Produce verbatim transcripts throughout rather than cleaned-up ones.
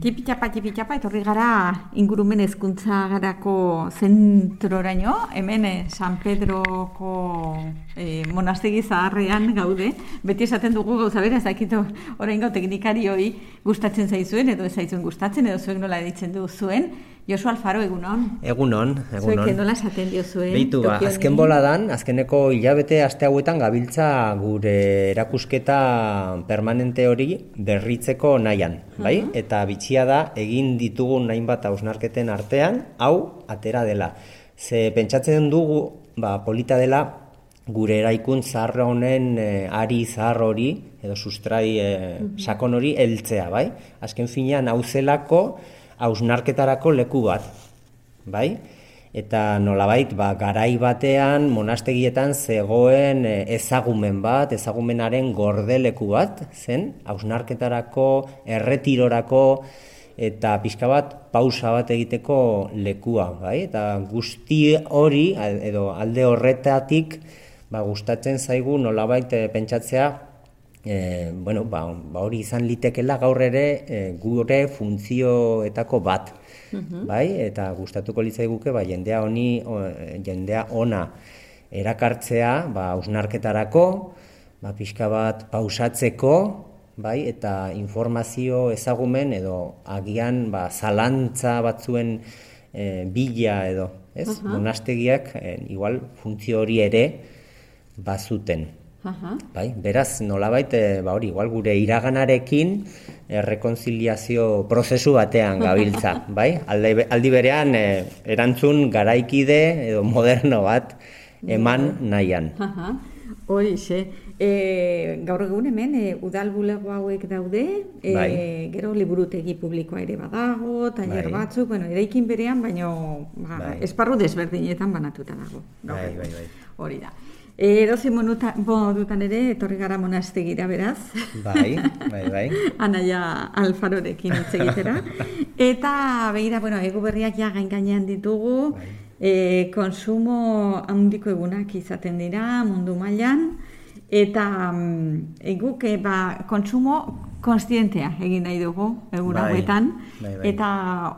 Tipitapa, tipitapa, etorri gara ingurumen hezkuntza garako zentroraino, hemen eh, San Pedroko eh, monastegi zaharrean gaude. Beti esaten dugu gauza bera, ez dakito oraingo teknikarioi gustatzen zaizuen, edo ez zaizuen gustatzen, edo zuek nola ditzen du zuen. Josu Alfaro, egunon? Egunon, egunon. Zuek nola esaten dio zuen? Beitu, ba, azken boladan, azkeneko hilabete aste hauetan gabiltza gure erakusketa permanente hori berritzeko nahian, bai? Uh -huh. Eta bitxia da, egin ditugun hainbat hausnarketen artean, hau atera dela. Ze pentsatzen dugu, ba, polita dela, gure eraikun zahar honen e, ari zahar hori, edo sustrai e, uh -huh. sakon hori heltzea, bai? Azken finean, hau zelako, hausnarketarako leku bat, bai? Eta nolabait, ba, garai batean, monastegietan zegoen ezagumen bat, ezagumenaren gordeleku bat, zen, hausnarketarako, erretirorako, eta pixka bat, pausa bat egiteko lekua, bai? Eta guzti hori, edo alde horretatik, ba, gustatzen zaigu nolabait pentsatzea, E, bueno, ba, ba hori izan litekela gaur ere e, gure funtzioetako bat, uh-huh. bai? Eta gustatuko litzaiguke ba, jendea honi, o, jendea ona erakartzea, ba, hausnarketarako, ba, pixka bat pausatzeko, bai? Eta informazio ezagumen edo agian ba, zalantza batzuen e, bila edo, ez? Uh-huh. Monastegiak e, igual funtzio hori ere bazuten. Aha. Bai, beraz, nolabait, ba hori, igual gure iraganarekin eh, rekonziliazio prozesu batean gabiltza, bai? Alde, aldi berean eh, erantzun garaikide edo moderno bat eman nahian. Aha. Hori, xe. E, gaur egun hemen, e, udal bulego hauek daude, e, bai. Gero liburutegi publikoa ere badago, taller bai. Batzuk, bueno, eraikin berean, baino ba, bai. Esparru desberdinetan banatuta dago. Bai, bai, bai. Hori da. Edozi modutan ere, etorri gara monastegira beraz. Bai, bai, bai. Anaia Alfarorekin hitz egitera. Eta, begira, bueno, egu berriak ja gain-gainean ditugu, bai. e, konsumo handiko egunak izaten dira mundu mailan, eta e, guk e, ba, konsumo konstientea egin nahi dugu egun hauetan, bai, bai. Eta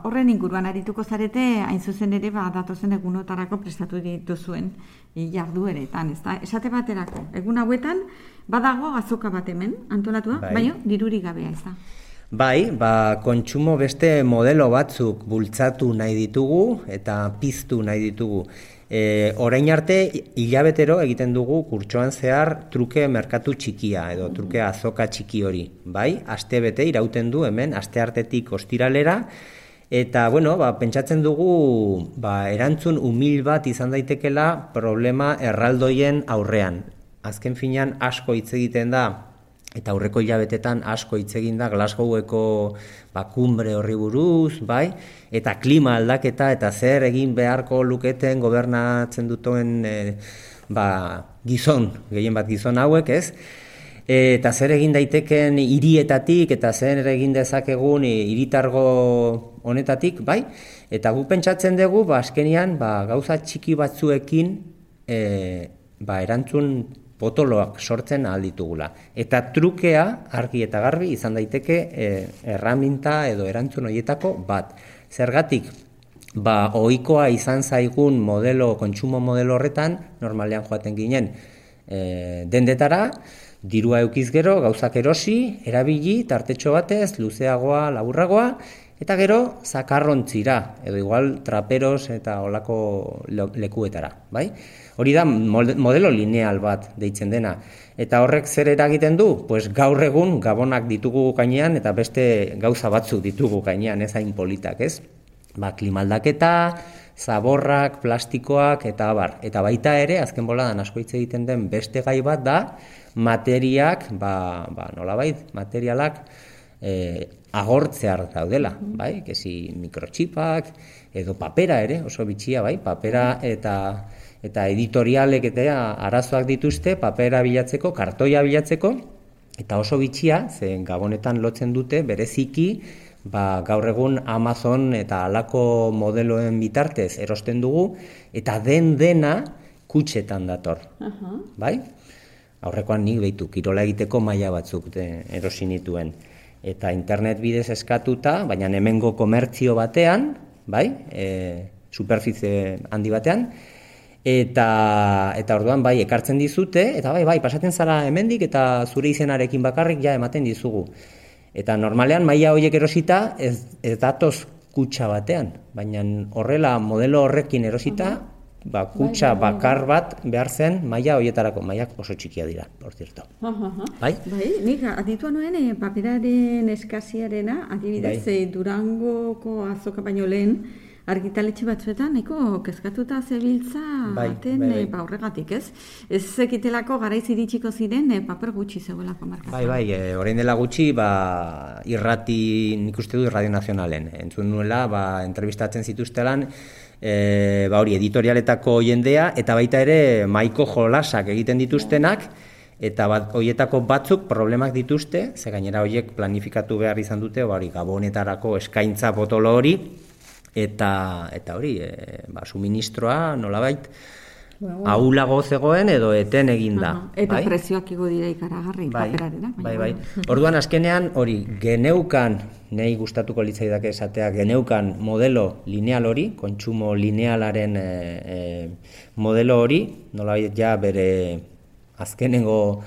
horren inguruan arituko zarete, hain zuzen ere, ba, datozen egunotarako prestatu dituzuen jardueretan, ez da? Esate baterako, egun hauetan, badago azoka bat hemen, antolatua, bai. Baina dirurik gabea, ez da? Bai, ba, kontsumo beste modelo batzuk bultzatu nahi ditugu eta piztu nahi ditugu. E, orain arte, hilabetero egiten dugu kurtsoan zehar truke merkatu txikia, edo truke azoka txiki hori, bai? Aste bete irauten du hemen, aste artetik ostiralera, eta, bueno, ba, pentsatzen dugu ba, erantzun umil bat izan daitekela problema erraldoien aurrean. Azken finean asko hitz egiten da, eta aurreko hilabetetan asko hitz egin da Glasgoweko ba, kumbre horri buruz, bai? Eta klima aldaketa eta zer egin beharko luketen gobernatzen duten e, ba, gizon, gehien bat gizon hauek, ez? Eta zer egin daiteken hirietatik eta zer egin dezakegun hiritargo honetatik, bai? Eta gu pentsatzen dugu, ba, azkenian, ba, gauza txiki batzuekin e, ba, erantzun potoloak sortzen ahal ditugula. Eta trukea, argi eta garbi, izan daiteke e, erraminta edo erantzun horietako bat. Zergatik, ba, ohikoa izan zaigun modelo, kontsumo modelo horretan, normalean joaten ginen e, dendetara, dirua eukiz gero, gauzak erosi, erabili, tartetxo batez, luzeagoa, laburragoa, eta gero zakarrontzira, edo igual traperos eta olako lekuetara, bai? Hori da modelo lineal bat deitzen dena. Eta horrek zer eragiten du? Pues gaur egun gabonak ditugu gainean eta beste gauza batzuk ditugu gainean, ez hain politak, ez? Ba, klimaldaketa, zaborrak, plastikoak eta abar. Eta baita ere, azken boladan asko hitz egiten den beste gai bat da, materiak, ba, ba nolabait, materialak e, agortzear daudela, bai? Kezi mikrotxipak, edo papera ere, oso bitxia, bai? Papera eta eta editorialek eta arazoak dituzte, papera bilatzeko, kartoia bilatzeko, eta oso bitxia, zen gabonetan lotzen dute, bereziki, ba, gaur egun Amazon eta halako modeloen bitartez erosten dugu, eta den dena kutxetan dator, uh-huh. bai? Aurrekoan nik behitu, kirola egiteko maila batzuk de, erosi nituen. eta internet bidez eskatuta, baina hemengo komertzio batean, bai, e, superficie handi batean, eta eta orduan bai ekartzen dizute, eta bai, bai, pasatzen zara hemendik eta zure izenarekin bakarrik ja ematen dizugu. Eta normalean maila horiek erosita ez, ez datoz kutxa batean, baina horrela modelo horrekin erosita, ba, kutxa bakar bat behar zen maila horietarako, mailak oso txikia dira, por cierto. Bai? Bai, nik aditua noen eh, paperaren eskasiarena, adibidez, bai. eh, Durangoko azoka baino lehen, argitaletxe batzuetan, nahiko kezkatuta zebiltza bai, baten bai, bai. ba, horregatik, ez? Ez zekitelako garaiz iritsiko ziren e, paper gutxi zegoelako markazioa. Bai, bai, e, orain dela gutxi, ba, irrati, nik uste du Radio Nazionalen, entzun nuela, ba, entrevistatzen zituztelan, e, ba, hori, editorialetako jendea, eta baita ere, maiko jolasak egiten dituztenak, eta bat, horietako batzuk problemak dituzte, ze gainera horiek planifikatu behar izan dute, ba, hori, gabonetarako eskaintza potolo hori, eta eta hori, e, ba, suministroa nolabait bueno, ahulago zegoen edo eten eginda. Uh -huh. Eta bai? Prezioak igo dira ikaragarri bai, paperarena. Bai, bai. Orduan azkenean hori geneukan, nei gustatuko litzaidake esatea, geneukan modelo lineal hori, kontsumo linealaren e, e, modelo hori, nolabait ja bere azkenengo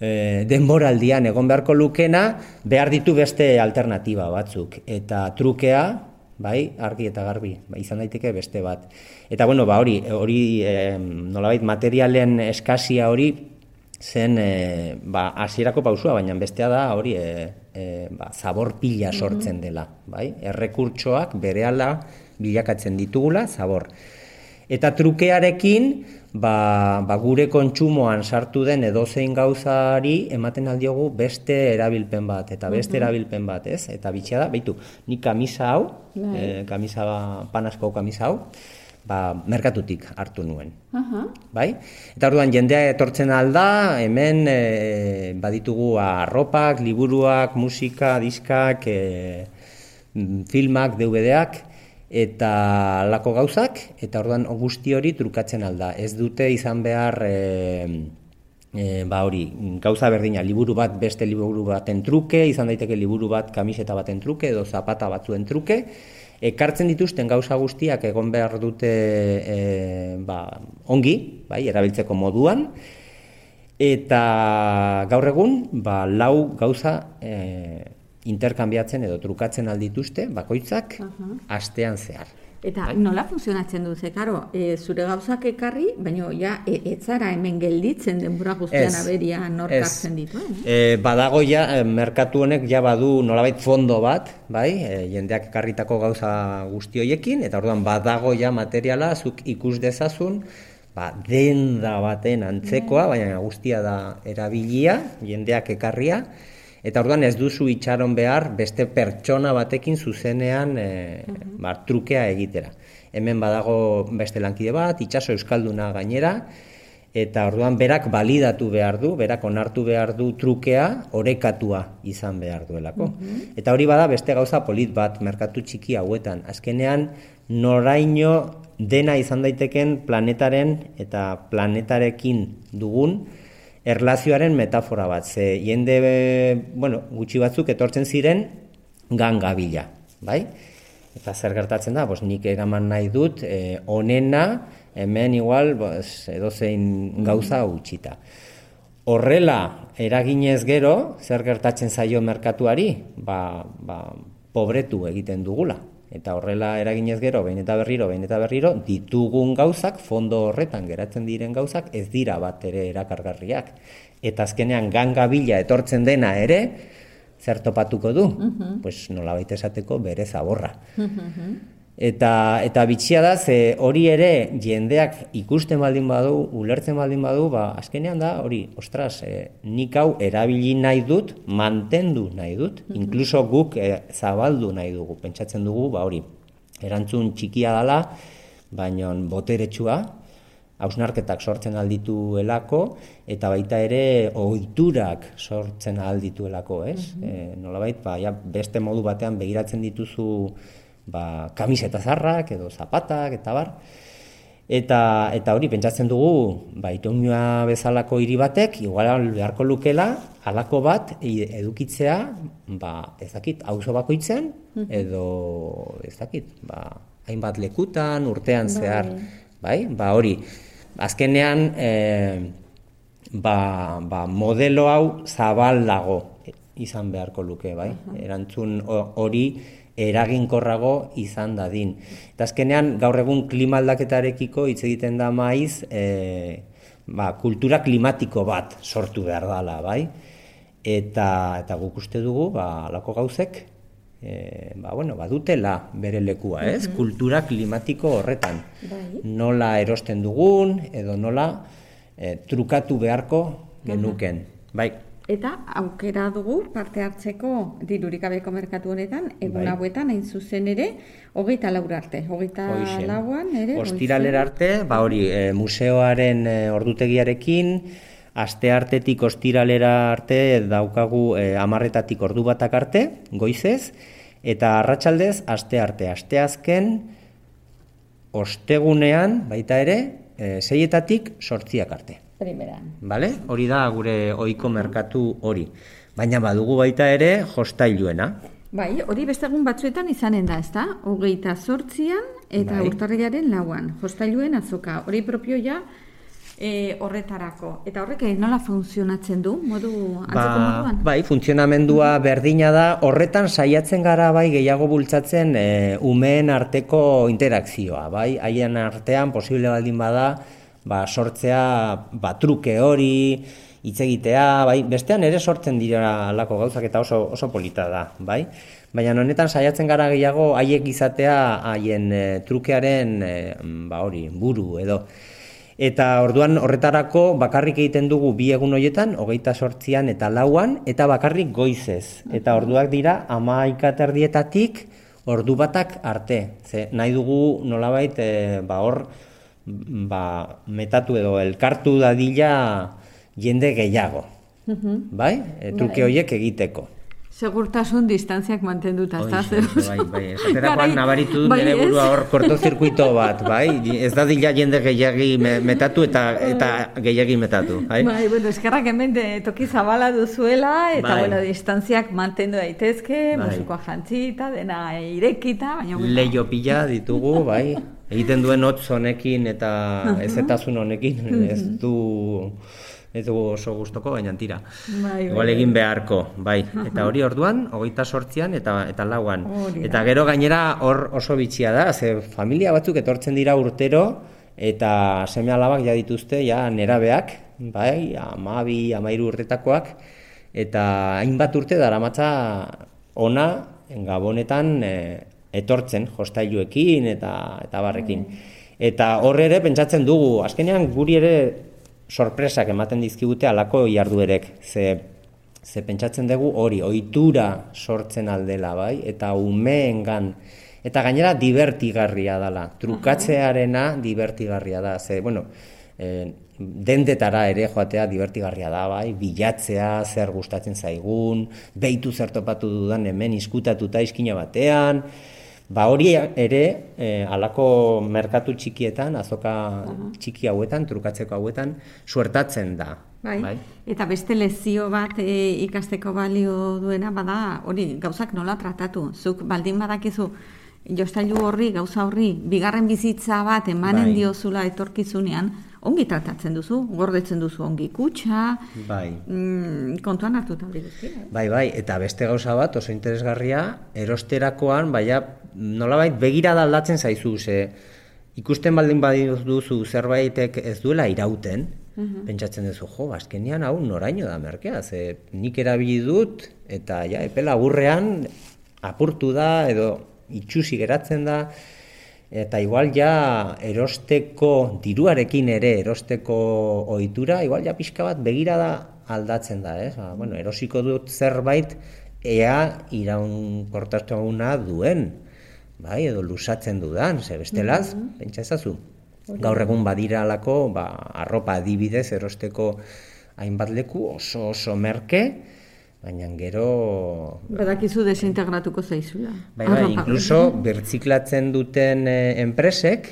e, denboraldian egon beharko lukena, behar ditu beste alternatiba batzuk. Eta trukea, bai, argi eta garbi, bai, izan daiteke beste bat. Eta bueno, ba hori, hori e, nolabait materialen eskasia hori zen e, ba hasierako pausua, baina bestea da hori e, e, ba, zabor pila sortzen dela, bai? Errekurtsoak berehala bilakatzen ditugula zabor. Eta trukearekin ba, ba gure kontsumoan sartu den edozein gauzari ematen aldiogu beste erabilpen bat, eta beste uh-huh. erabilpen bat, ez? Eta bitxea da, beitu, ni kamisa hau, eh, kamisa, panasko kamisa hau, ba, merkatutik hartu nuen, uh-huh. bai? Eta orduan jendea etortzen alda, hemen e, baditugu arropak, liburuak, musika, diskak, e, filmak, D V D-ak, eta lako gauzak, eta orduan guzti hori trukatzen alda. Ez dute izan behar, e, e, ba hori, gauza berdina, liburu bat beste liburu baten truke, izan daiteke liburu bat kamiseta baten truke, edo zapata batzuen truke, ekartzen dituzten gauza guztiak egon behar dute e, ba, ongi, bai, erabiltzeko moduan, eta gaur egun, ba, lau gauza e, interkambiatzen edo trukatzen aldituzte, bakoitzak, uh-huh. astean zehar. Eta bai? Nola funtzionatzen du, ze, karo, e, zure gauzak ekarri, baina ja, e, etzara hemen gelditzen denbora guztian aberia norkartzen dituen. Eh? E, badago ja, merkatu honek ja badu nolabait fondo bat, bai, e, jendeak ekarritako gauza guzti hoiekin, eta orduan badago ja materiala, zuk ikus dezazun, ba, denda baten antzekoa, baina guztia da erabilia, jendeak ekarria, eta orduan ez duzu itxaron behar beste pertsona batekin zuzenean e, uh-huh. ba, trukea egitera. Hemen badago beste lankide bat, itxaso euskalduna gainera, eta orduan berak balidatu behar du, berak onartu behar du trukea orekatua izan behar duelako. Uh-huh. Eta hori bada beste gauza polit bat merkatu txiki hauetan. Azkenean noraino dena izan daiteken planetaren eta planetarekin dugun erlazioaren metafora bat, ze jende, bueno, gutxi batzuk etortzen ziren gangabila, bai? Eta zer gertatzen da, bos, nik eraman nahi dut, eh, onena, hemen igual, bos, edozein gauza utxita. Horrela, eraginez gero, zer gertatzen zaio merkatuari, ba, ba, pobretu egiten dugula. Eta horrela eraginez gero, behin eta berriro, behin eta berriro, ditugun gauzak, fondo horretan geratzen diren gauzak, ez dira bat ere erakargarriak. Eta azkenean gangabila etortzen dena ere, zer topatuko du? Uh-huh. Pues nolabait esateko bere zaborra. Uh-huh. Eta, eta bitxia da, ze hori ere jendeak ikusten baldin badu, ulertzen baldin badu, ba, azkenean da, hori, ostras, e, nik hau erabili nahi dut, mantendu nahi dut, uh-huh. inkluso guk e, zabaldu nahi dugu, pentsatzen dugu, ba, hori, erantzun txikia dela, baina boteretsua, hausnarketak sortzen aldituelako, eta baita ere ohiturak sortzen aldituelako, ez? Uh-huh. E, nolabait, ba, ja, beste modu batean begiratzen dituzu ba, kamiseta zarrak edo zapatak eta bar. Eta, eta hori, pentsatzen dugu, ba, Itoñua bezalako hiri batek, igual beharko lukela, halako bat edukitzea, ba, ez dakit, auzo bakoitzen, edo, ez dakit, ba, hainbat lekutan, urtean zehar, bai, ba, hori, azkenean, e, ba, ba, modelo hau zabal dago izan beharko luke, bai, erantzun hori, eraginkorrago izan dadin. Eta azkenean, gaur egun klima aldaketarekiko hitz egiten da maiz, e, ba, kultura klimatiko bat sortu behar dela, bai? Eta, eta guk uste dugu, ba, alako gauzek, e, ba, bueno, badutela bere lekua, ez? Mm-hmm. Kultura klimatiko horretan. Bai. Nola erosten dugun, edo nola e, trukatu beharko genuken, mm-hmm. bai? Eta aukera dugu parte hartzeko dirurik gabeko merkatu honetan, egun hauetan hain zuzen ere, hogeita laur arte. Hogeita lauan ere. Ostiralera arte, ba hori, e, museoaren e, ordutegiarekin, asteartetik ostiralera arte daukagu e, amarretatik ordu batak arte, goizez, eta arratsaldez astearte, asteazken, ostegunean, baita ere, e, seietatik sortziak arte. Primeran. Vale? Hori da gure ohiko merkatu hori. Baina badugu baita ere jostailuena. Bai, hori beste egun batzuetan izanen da, ezta? Hogeita zortzian eta bai. Urtarrilaren lauan. Jostailuen azoka. Hori propio ja e, horretarako. Eta horrek nola funtzionatzen du? Modu antzeko ba, moduan? Bai, funtzionamendua berdina da. Horretan saiatzen gara bai gehiago bultzatzen e, umeen arteko interakzioa. Bai, haien artean posible baldin bada ba, sortzea ba, truke hori, hitz egitea, bai, bestean ere sortzen dira alako gauzak eta oso, oso polita da, bai? Baina honetan saiatzen gara gehiago haiek izatea haien e, trukearen e, ba, hori, buru edo. Eta orduan horretarako bakarrik egiten dugu bi egun horietan, hogeita sortzian eta lauan, eta bakarrik goizez. Eta orduak dira hamaika terdietatik ordu batak arte. Ze, nahi dugu nolabait e, ba, hor, ba, metatu edo elkartu dadila jende gehiago, uh-huh. bai? E, truke horiek egiteko. Segurtasun distantziak mantenduta, ez da? Bai, bai, esaterakoan nabaritu dut nire burua hor kortozirkuito bat, bai? Ez da dila jende gehiagi metatu eta eta gehiagi metatu, bai? Bai, bueno, eskerrak hemen toki zabala duzuela, eta, bai. Bueno, distantziak mantendu daitezke, bai. Musikoa jantzita, dena irekita, baina... Leio pila ditugu, bai? Egiten duen hotz honekin eta ezetasun honekin, ez du... ez dugu oso gustoko, baina tira. Bai, igual egin beharko, bai. Eta hori orduan, hogeita sortzian eta eta lauan. Eta gero gainera hor oso bitxia da, ze familia batzuk etortzen dira urtero, eta seme alabak ja dituzte, ja nerabeak, bai, hamabi, hamahiru urtetakoak, eta hainbat urte daramatza ona Gabonetan e, etortzen, jostailuekin eta eta barrekin. Eta hor ere pentsatzen dugu, azkenean guri ere sorpresak ematen dizkigute alako jarduerek, ze, ze pentsatzen dugu hori, ohitura sortzen aldela, bai, eta umeengan, eta gainera divertigarria dela, trukatzearena divertigarria da, ze, bueno, eh, dendetara ere joatea divertigarria da, bai, bilatzea, zer gustatzen zaigun, behitu zer topatu dudan hemen izkutatuta izkina batean, ba hori ere, eh, alako merkatu txikietan, azoka uh-huh. txiki hauetan, trukatzeko hauetan, suertatzen da. Bai. Bai. Eta beste lezio bat e, ikasteko balio duena, bada hori gauzak nola tratatu. Zuk baldin badakizu, jostailu horri, gauza horri, bigarren bizitza bat emanen bai. Diozula etorkizunean, ongi tratatzen duzu, gordetzen duzu ongi kutxa, bai. mm, kontuan hartuta hori guztia. Bai, bai, eta beste gauza bat oso interesgarria, erosterakoan, baina nolabait begirada aldatzen zaizu, ze ikusten baldin baduzu zerbaitek ez duela irauten, uh-huh. pentsatzen duzu, jo, azkenean hau noraino da merkea, ze nik erabili dut, eta ja, epe laburrean apurtu da, edo itxusi geratzen da, eta igual ja erosteko diruarekin ere erosteko ohitura, igual ja pixka bat begirada aldatzen da, ez? Ba, bueno, erosiko dut zerbait ea iraunkortasuna duen, bai, edo lusatzen dudan, ze bestelaz, mm-hmm. pentsa ezazu. Gaur egun badira alako, ba, arropa adibidez erosteko hainbat leku oso oso merke, baina gero... Badakizu desintegratuko zaizula. Bai, bai, inkluso birtziklatzen duten eh, enpresek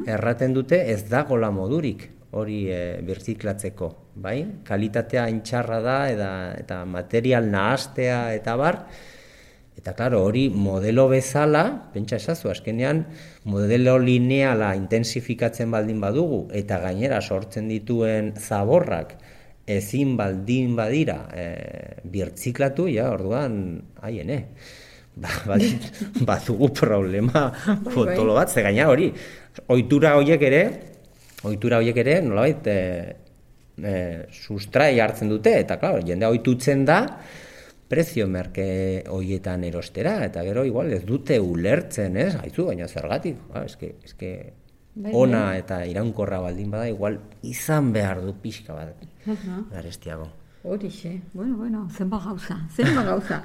erraten dute ez dagola modurik hori eh, birtziklatzeko, bai? Kalitatea intxarra da eta, eta material nahastea eta bar, eta klaro, hori modelo bezala, pentsa esazu, azkenean modelo lineala intensifikatzen baldin badugu eta gainera sortzen dituen zaborrak ezin baldin badira e, birtziklatu, ja, orduan, haiene, ba, badugu problema potolo bat, ze gaina hori, ohitura horiek ere, ohitura horiek ere, nolabait, e, e, sustrai hartzen dute, eta, klaro, jende ohitutzen da, prezio merke horietan erostera, eta gero, igual, ez dute ulertzen, ez, haizu, baina zergatik, ba, eske, eske, ona eta iraunkorra baldin bada, igual izan behar du pixka bat, garestiago. Horixe, bueno, bueno, zenba gauza, zenba gauza.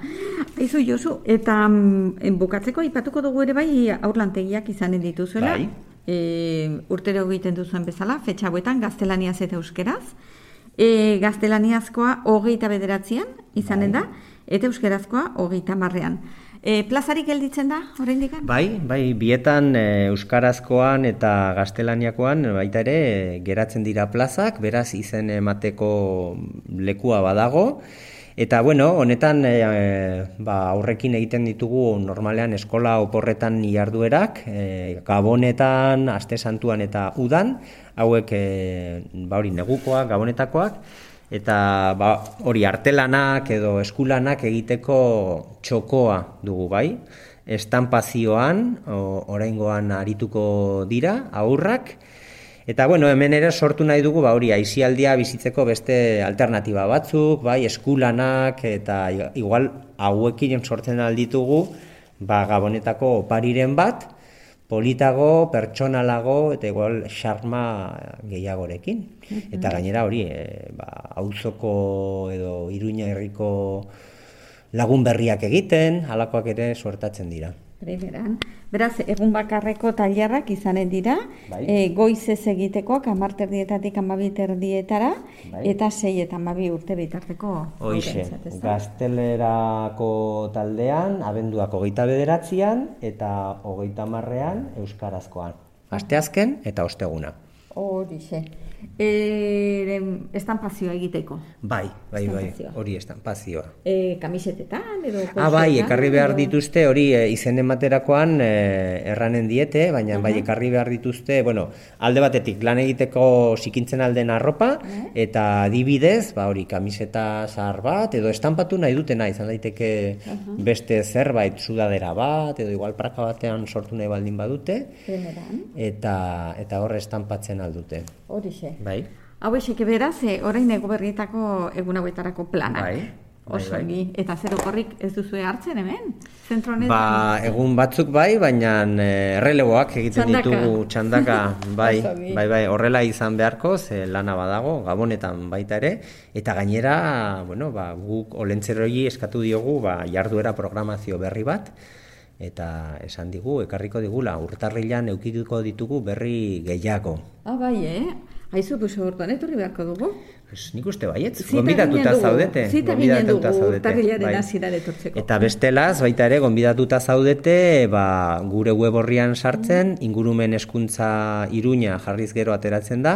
Aizu, Josu, eta mm, bukatzeko aipatuko dugu ere bai aurlantegiak izanen dituzuela. Bai. E, urtero egiten duzuen bezala, fetxa hauetan gaztelaniaz eta euskeraz. E, gaztelaniazkoa hogeita bederatzean izanen da, eta euskerazkoa hogeita marrean. E, plazarik gelditzen da, oraindik? Bai, bai, bietan e, euskarazkoan eta gaztelaniakoan baita ere e, geratzen dira plazak, beraz izen emateko lekua badago. Eta bueno, honetan e, ba, aurrekin egiten ditugu normalean eskola oporretan jarduerak, e, gabonetan, aste santuan eta udan, hauek e, ba hori negukoak, gabonetakoak, eta ba, hori artelanak edo eskulanak egiteko txokoa dugu bai. Estanpazioan, oraingoan arituko dira, aurrak. Eta bueno, hemen ere sortu nahi dugu ba, hori aisialdia bizitzeko beste alternatiba batzuk, bai, eskulanak, eta igual hauekin sortzen alditugu ba, gabonetako opariren bat, politago, pertsonalago, eta igual xarma gehiagorekin. Eta gainera hori, e, ba, auzoko edo Iruña herriko lagun berriak egiten, halakoak ere suertatzen dira. Primeran. Beraz, egun bakarreko tailerrak izanen dira, bai. e, goizez egitekoak amarterdietatik amabiterdietara, bai. Eta sei eta amabi urte bitarteko. Hoixe, gaztelerako taldean, abenduak hogeita bederatzean eta hogeita hamarrean euskarazkoan. Asteazken eta osteguna. Horixe. E, estanpazioa egiteko. Bai, bai, bai, hori estanpazioa. E, kamisetetan edo... Ah, bai, ekarri behar dituzte, hori e, izen ematerakoan e, erranen diete, baina uh-huh. bai, ekarri behar dituzte, bueno, alde batetik lan egiteko sikintzen alden arropa, uh-huh. eta adibidez, ba, hori, kamiseta zahar bat, edo estanpatu nahi dutena, izan daiteke uh-huh. beste zerbait, sudadera bat, edo igual praka batean sortu nahi baldin badute, eta, eta horre estanpatzen aldute. Horixe. Bai. Hau esek beraz, e, orain ego berrietako egun hauetarako planak. Bai. Oso bai, bai. Eta zer okorrik ez duzue hartzen hemen? Zentro honetan? Ba, egun batzuk bai, baina erreleboak egiten txandaka. Ditugu txandaka. Bai, bai, bai, horrela izan beharko, ze lana badago, gabonetan baita ere. Eta gainera, bueno, ba, guk olentzeroi eskatu diogu ba, jarduera programazio berri bat. Eta esan digu, ekarriko digula, urtarrilan eukituko ditugu berri gehiago. Ah, bai, eh? Haizu, pues, orduan etorri beharko dugu? Pues, nik uste baietz, gonbidatuta zaudete. Zita ginen dugu urtarrilaren hasieran etortzeko. Eta bestelaz, baita ere, gonbidatuta zaudete, ba, gure web horrian sartzen, mm. ingurumen hezkuntza Iruña jarriz gero ateratzen da,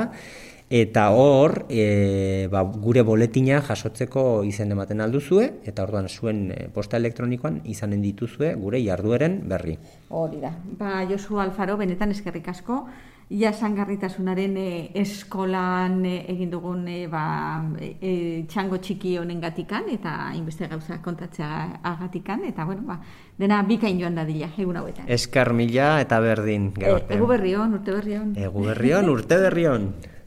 eta hor, e, ba, gure boletina jasotzeko izen ematen alduzue, eta orduan zuen posta elektronikoan izanen dituzue gure jardueren berri. Hori da. Ba, Josu Alfaro, benetan eskerrik asko, jasangarritasunaren e, eskolan e, egin dugun e, ba, e, txango txiki honen gatikan, eta inbeste gauza kontatzea agatikan, eta bueno, ba, dena bikain joan dadila, egun hauetan. Esker mila eta berdin. E, egu berrion, urte berrion. Egu berrion, urte berrion.